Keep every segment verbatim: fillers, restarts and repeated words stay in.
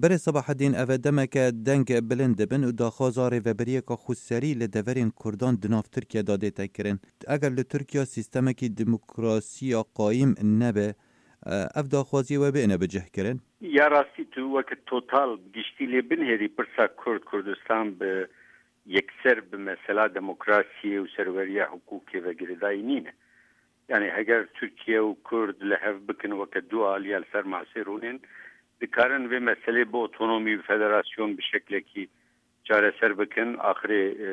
Berê Sebahedîn, ev e demeke deng bilind dibin û daxwaza rêveberiyeke xweserî li deverên Kurdan di nav Tirkiye de dête kirin. Eger li Tirkiye sîstemekî demokrasiya qayîm nebe, ev daxwaziyê we bêne bicihkirin? Ya rastî tu weke total giştî lê binêrî pirsa Kurd Kurdistan bi yekser bi mesela demokrasiyê û serweriya hiqûqê ve girêdayî nîne. Yani heger Tirkiye û Kurd li hev bikin weke du aliya li ser masê rûnên, dikarin vê meselê bi otonomî û federasyon bi şeklekî çareser bikin. Axirê, e,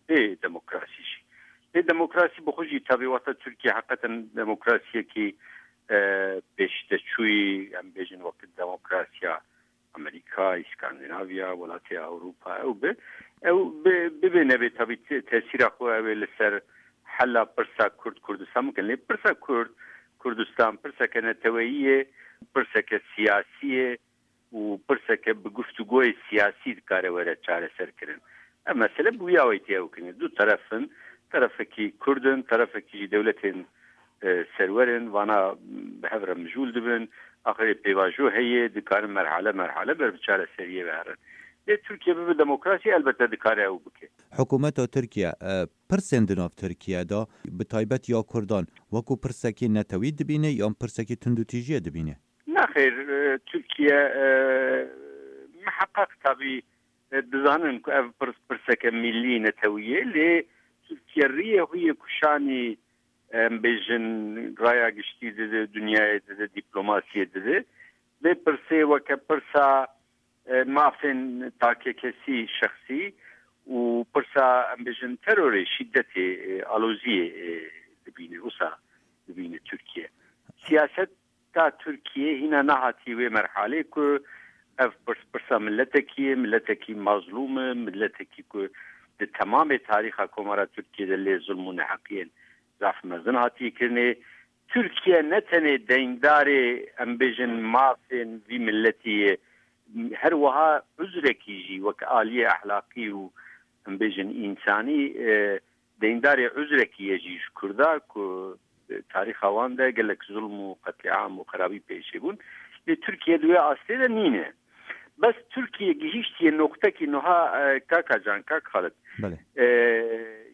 bê demokrasî jî. Bê demokrasî bi xwe jî tabi wexta Tirkiye heqeten demokrasiyekî, e, pêşdeçûyî, em bêjin wekî demokrasiya Amerîka, Îskandinavya, welatê Ewropa ew bi, ew bi, bibê nebê tabi te-, tesîra xwe ew ê li ser hela pirsa Kurd Kurdistan bikin. Lê pirsa Kurd Kurdistan pirseke neteweyî ye, pirseke siyasî ye û pirseke bi guftûgoyê siyasî dikare were çareser kirin. Ev mesele bi wî awayî tê ew kirin. Du teref in, terefekî Kurd in, terefekî jî dewletên, e, serwer in, vana bi hev re mijûl dibin, axirê pêvajo heye, dikarin merhale merhale ber bi çareseriyê ve herin. Lê Tirkiye bibe demokrasî, elbette dikare ew bike. Hikûmeta Tirkiye, e, pirsên di nav Tirkiye de, bi taybet ya Kurdan, wekû pirsekî netewî dibîne yan pirsekî tundûtîjiyê dibîne? Nexêr, e, Tirkiye, e, miheqeq tabî, e, dizanin ku ev pirs, pirseke millî netewî ye, lê Tirkiye riyê xwe yê ku şanî, em bêjin, raya giştî dide, dinyayê dide, dîplomasiyê dide. Vê pirsê weke pirsa, e, mafên takekesî, şexsî û pirsa, em bêjin, terorê, şîdetê, e, aloziyê, e, dibîne, wisa dibîne Tirkiye. Siyaset ta Tirkiye hîna nehatiye wê merhalê ku ev pirs, pirsa miletekî ye, miletekî mazlûm e, miletekî ku di temamê tarîxa Komara Tirkiye de lê zulm û neheqiyên zaf mezin hatiye kirinê. Tirkiye ne tenê deyndarê, em bêjin, mafên vî miletî ye, her wiha uzrekî jî wek aliyê ehlaqî û, em bêjin, însanî, e, deyndarê uzrekî ye jî ji Kurda ku, e, tarîxa wan de gelek zulm û qetlîam û xerabî pêşê bûn. Lê Tirkiye di wê astê de nîne. Bes Tirkiye gihîştiye noqtekî nuha, e, kaka Can, kak Xalid. Belê. E,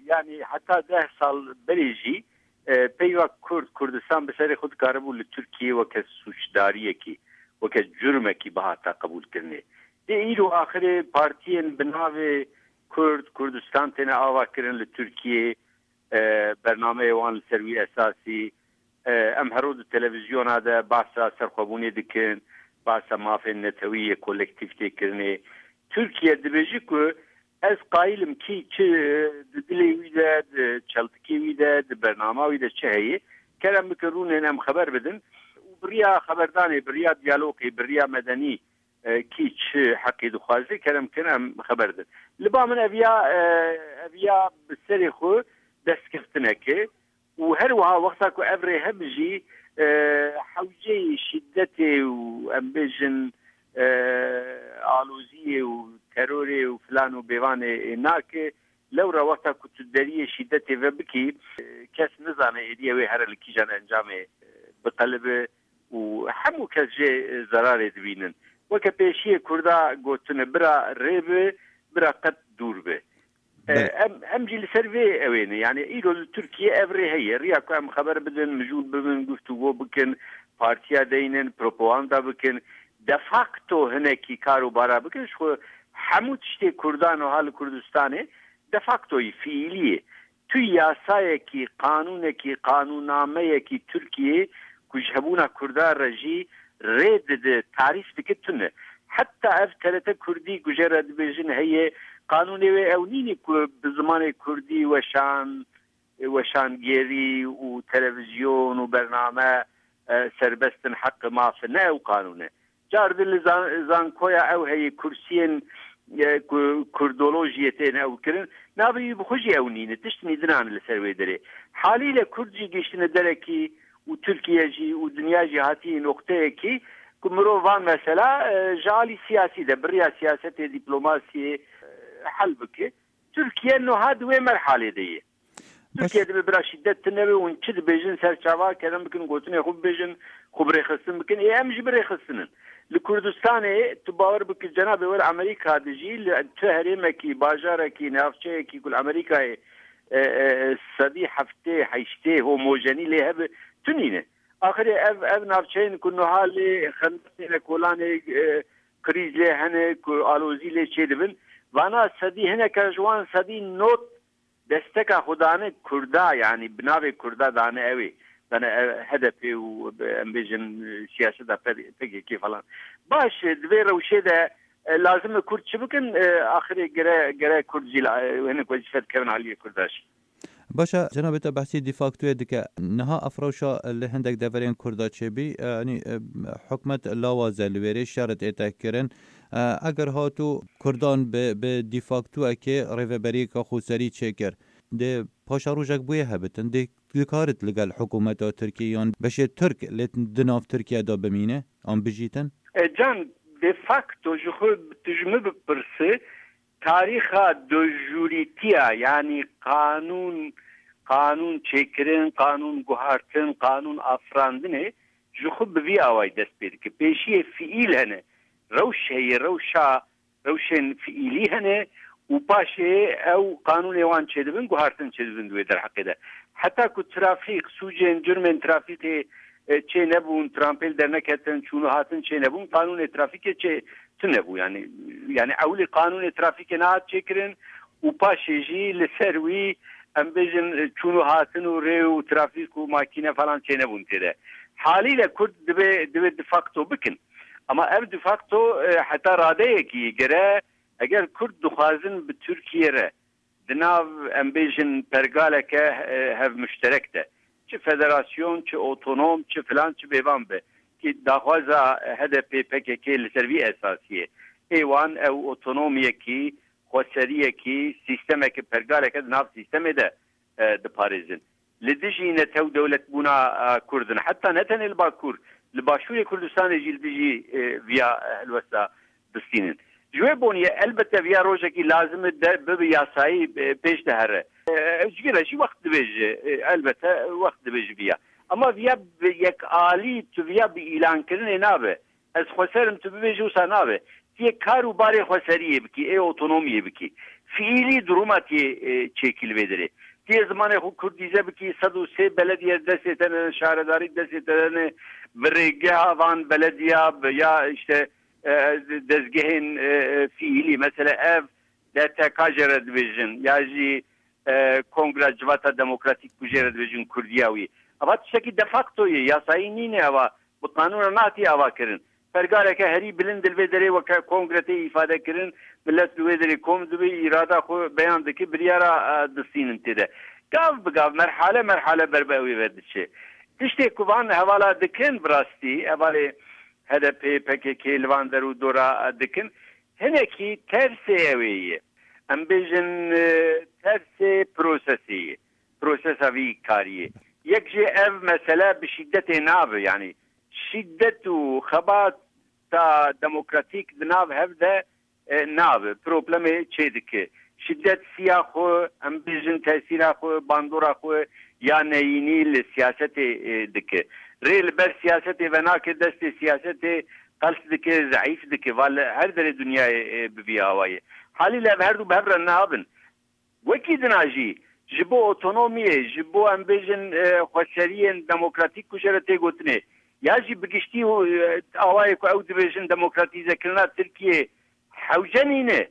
yani heta deh sal berê jî, e, peyva Kurd, Kurdistan bi serê xwe dikaribû li Tirkiye weke sûcdariyekî, weke curmekî bihata qebûlkirinê. Lê îro axirê partiyên bi navê Kurd, Kurdistan têne ava kirin li Tirkiyê, e, bernameyê wan li ser wî esasî, e, em hero di televîzyona de bahsa serxwebûnê dikin, bahsa mafên netewî yê kolektîf tê kirinê. Tirkiye dibêje ku ez qayîl im kî çi di dilê wî de, di çeltikê wî de, di bernama wî de çi heye, kerem bikin rûnên em xeber bidin û bi riya xeberdanê, bi riya diyalogê, bi riya medenî, e, kî çi heqî dixwaze, kerem kin em xeber din. Li ba min ev ya, e, ev ya bi serê xwe destkeftinek e û her wiha wexta ku ev rêhem jî, e, hewceyê şîdetê û em bêjin, e, aloziyê û terorê û filan û bêvanê, e, nake, lewra wexta ku tu deriyê şîdetê ve bikî, e, kes nizane êdî ew ê here li kîjan encamê, e, biqelibe û hemû kes jê, e, zerarê dibînin. Weke pêşiyê Kurda gotine, bira rê bi, bira qet dûr bi. E, Belê. em, em jî li ser vê ew ê ne. Yani îro li Tirkiye ev rê heye. Riya ku em xeber bidin, mijûl bibin, guftûgo bikin, partiya deynin, propaganda bikin. De facto hinekî kar û bara bikin, ji xwe hemû tiştê Kurdan wiha li Kurdistanê de factoyî, fiîlî ye. Tu yasayekî, qanûnekî, qanûnnameyekî Tirkiyê ku ji hebûna Kurda re jî rê dide, tarîf dike, tune. Heta ev T R T Kurdî ku jê re dibêjin heye, qanûnê wê ew nîne ku bi zimanê Kurdî weşan, weşangêrî û televîzyon û bername, e, serbest in, heq maf in. Ne ew qanûn e. Car din li zan-, zankoya ew heye, kursiyên, e, ku-, kurdolojiyê tên ew kirin. Navê wî bi xwe jî ew nîne. Tişt nîdinan li ser wê derê. Halîle Kurd jî gihiştine derekî û Tirkiye jî û dinya jî hatiye noqteyekî ku mirov van mesela, e, ji alî siyasî de, bi riya siyasetê, dîplomasiyê, e, hel bike. Tirkiye niha di wê merhalê de ye. Baş. Tirkiye dibe bira şîdet tune be, hûn çi dibêjin ser çava, kerem bikin gotinê xwe bibêjin, xwe bi rêxistin bikin. Ê em jî bi rêxistin in. Li Kurdistanê tu bawer bike cenabê we li Amerîka dijî, li tu herêmekî, bajarekî, navçeyekî ku li Amerîkayê, e, e, sedî heftê heştê homojenî lê hebe, tu nîne. Axirê ev, ev navçeyên ku niha lê xendeqê ne, kolanê, e, krîz lê hene, ku alozî lê çêdibin, vana sedî hineke ji wan sedî nod desteka xwe dane Kurda, yanî bi navê Kurda dane ew ê. Dane ev H D P û, em bêjin, siyaseta P K K falan. Baş, di vê rewşê de, e, lazim e Kurd çi bikin? E, axirê gere, gere Kurd jî la, e, hinek wezîfe dikevin aliyê Kurda jî. Baş e, cenabê te behsî dîfaktoyê dike. Niha ev rewşa li hindek deverên Kurda çêbî, e, yanî, e, hikûmet lawaze li wêrê şer tête kirin. E, eger hatû Kurdan bi, bi dîfaktoyekê rêveberiyeke xweserî çêkir, dê paşerojek bûye hebitin, dê dikarit li gel hikûmeta Tirkiyê yan beşê Tirk lê di nav Tirkiye de bimîne an bijîtin? E, can, de facto ji xwe tu ji min bipirsî, tarîxa dojûrîtiya, yanî qanûn, qanûn çêkirin, qanûn guhartin, qanûn afirandinê ji xwe bi vî awayî dest pê dike. Pêşiyê fiîl hene, rewş heye, rewşa, rewşên fiîlî hene û paşê ew qanûnê wan çêdibin, guhartin çêdibin di wê derheqê de. Heta ku trafîk, sûcên, curmên trafîkê, e, çê nebûn, trampêl derneketin, çûn û hatin çê nebûn, qanûnê trafîkê çê tune bû. Yanî, yanî ewilî qanûnê trafîkê nehat çêkirin û paşê jî li ser wî, em bêjin, çûn û hatin û rê û trafîk û makîne falan çênebûn tê de. Halîle Kurd divê, divê de facto bikin. Ama ev de facto, e, heta radeyekî gere, eger Kurd dixwazin bi Tirkiye re di nav, em bêjin, pergaleke, e, hevmuşterek de, çi federasyon, çi otonom, çi filan, çi bêvan be, ki daxwaza H D P P K K li ser vî esasî ye. Ê wan ew otonomiyekî, xweseriyekî, sîstemeke, pergaleke di nav sîstemê de, e, diparêzin. Li dijî netew dewletbûna, e, Kurd in. Heta ne tenê li Bakur, li Başûrê Kurdistanê jî li dijî, e, viya, e, helwesta distînin. Ji wê boniyê elbette viya rojekî lazim e de bibe yasayî, e, pêş de here. E, ji vî re jî wext dibêje, e, elbette wext dibêje viya. Ama viya bi yekalî, tu viya bi îlankirinê nabe. Ez xweser im, tu bibêjî, wisa nabe. Tu yê kar û barê xweseriyê bikî, ê otonomiyê bikî. Fiîlî duruma tu yê, e, çêkî li vê derê. Tu yê zimanê xwe kurdîze bikî, sed û sê belediye destê te ne, şaredarî destê te ne, bi rêgeha van belediya, bi ya işte, e, dezgehên, e, e, fiîlî, mesela ev D T K jê re dibêjin, ya jî, e, Kongra Civata Demokratîk ku jê re dibêjin Kurdiya wî. Eva tiştekî de facto ye, yasayî nîne eva, bi qanûna nehatiye ava kirin. Pergaleke herî bilind li vê derê weke kongre tê îfade kirin, milet li wê derê kom dibe, îrada xwe beyan dike, biryara, e, distînin tê de. Gav bi gav, merhale merhale ber bi ew ê ve diçe. Tiştê ku van hevala dikin, bi rastî, hevalê H D P, P K K li van der û dora, e, dikin, hinekî tersê ew ê ye. Em bêjin, e, tersê prosesê ye. Prosesa vî kariyê. Yek jê ev mesele bi şîdetê nabe, yanî şîdet û xebata demokratîk di nav hev de, e, nabe. Problemê çê dike. Şîdet siya xwe, em bêjin tesîra xwe, bandora xwe ya neyînî li siyasetê, e, dike. Rê li ber siyasetê venake, destê siyasetê qels dike, zeîf dike. Va li her derê dinyayê, e, bi vî awayê. Halî li ev her du bi hev re nabin. Wekî dina jî ji bo otonomiyê, ji bo, em bêjin, e, xweseriyên demokratîk ku jê re tê gotinê, ya jî bi giştî, e, awayê ku ew dibêjin demokratîzekirina Tirkiyê hewce nîne.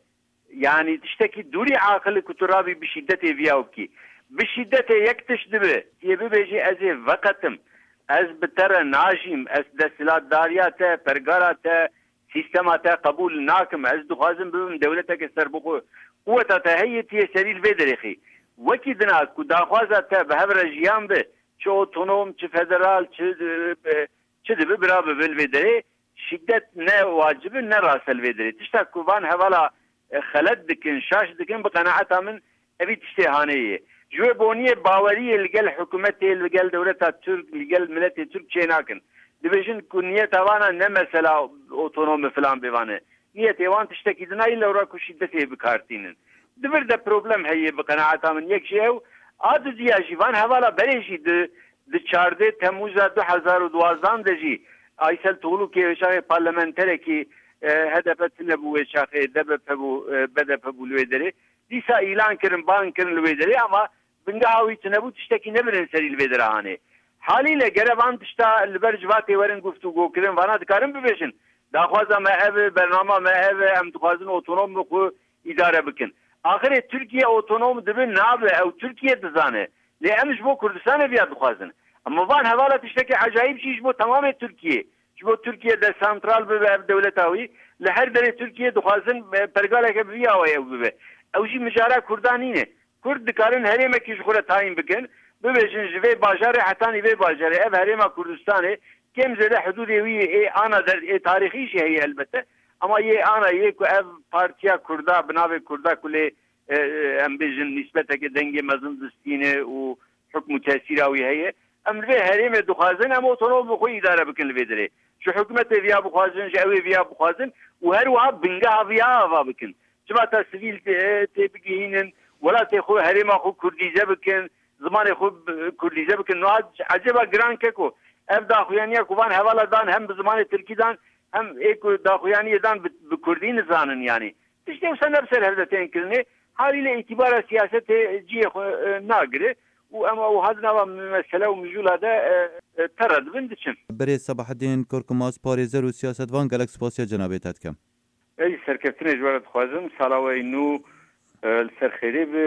Yanî tiştekî dûrî aqil e ku tu rabî bi şîdetê viya bikî. Bi şîdetê yek tişt dibe, yê bibêjî, ez ê veqetim, ez bi te re najîm, ez desthilatdariya te, pergala te, sîstema te qebûl nakim, ez dixwazim bibim dewleteke serbixwe. Quweta te heye, tu yê serî li vê derê xî. Wekî dina ku daxwaza te bi hev re jiyan be, çi otonom, çi federal, çi, e, çi dibe, bira bibe li vê derê, şîdet ne wacib e, ne rast e li vê derê. Tişta ku van hevala, e, xelet dikin, şaş dikin, bi qenaeta min evî tiştê hanê ye. Ji wê boniyê baweriyê li gel hikûmetê, li gel dewleta Tirk, li gel miletê Tirk çê nakin. Dibêjin ku niyeta wana ne mesela otonom e filan bêvan e. Niyetê wan tiştekî din e, lewra ku şîdetê bi kar tînin. Di vir de problem heye bi qenaeta min. Yek jî ew, a dudiya jî van hevala berê jî di, di çardeh Temmûza du hezar û duwazdeh de jî Aysel Tuğlu kê wê çaxê parlamenterekî, e, H D P tine bû wê çaxê, D B P bû, e, B D P bû li wê derê. Dîsa îlan kirin, bang kirin li wê derê ama bingeha wî tune bû, tiştekî ne birin serî li vê dera hanê. Halîle gere van tişta li ber civatê werin guftûgo kirin, vana dikarin bibêjin. Daxwaza me ev e, bernama me ev e, em dixwazin otonom bi xwe îdare bikin. Axirê Tirkiye otonom dibe nabe, ew Tirkiye dizane. Lê em ji bo Kurdistanê viya dixwazin. Em van hevala tiştekî ecayîb jî ji bo temamê Tirkiye. Ji bo Tirkiye desantral bibe ev dewleta wî. Li her derê Tirkiye dixwazin, e, pergaleke bi vî awayê ew bibe. Ew jî mijara Kurdan nîne. Kurd dikarin herêmekî ji xwe re tayîn bikin. Bibêjin ji vê bajarê hetanî vê bajarê. Ev herêma Kurdistanê kêm zêde hidûdê wî ê ana der, ê tarîxî jî heye elbette. Ama yê ana yê ku ev partiya Kurda, bi navê Kurda ku lê, e, e, em bêjin nîsbeteke dengê mezin distîne û hukm û tesîra wî heye. Em li vê herêmê dixwazin em otonom bi xwe îdare bikin li vê derê. Ji hikûmetê viya bixwazin, ji ew ê viya bixwazin û her wiha bingeha viya ava bikin. Civata sivîl tê, tê bigihînin, welatê xwe, herêma xwe kurdîze bikin, zimanê xwe bi-, kurdîze bikin. Niha ecêba giran keko, ev daxuyaniya ku van hevala dan hem bi zimanê tirkî dan hem ê ku daxuyaniyê dan bi, bi kurdî nizanin yanî. Tiştê wisa ne bi ser hev de tên kirinê, halîle îtîbara siyasetê cihê xwe, e, nagire û em wiha di nava mesele û mijûla de, e, e, pere dibin diçin. Birêz Sebahedîn Korkmaz, parêzer û siyasetvan, gelek spasiya cenabê te dikim. Ez jî serkeftinê ji we re dixwazim. Sala we yî nû, e, li ser xêrê be.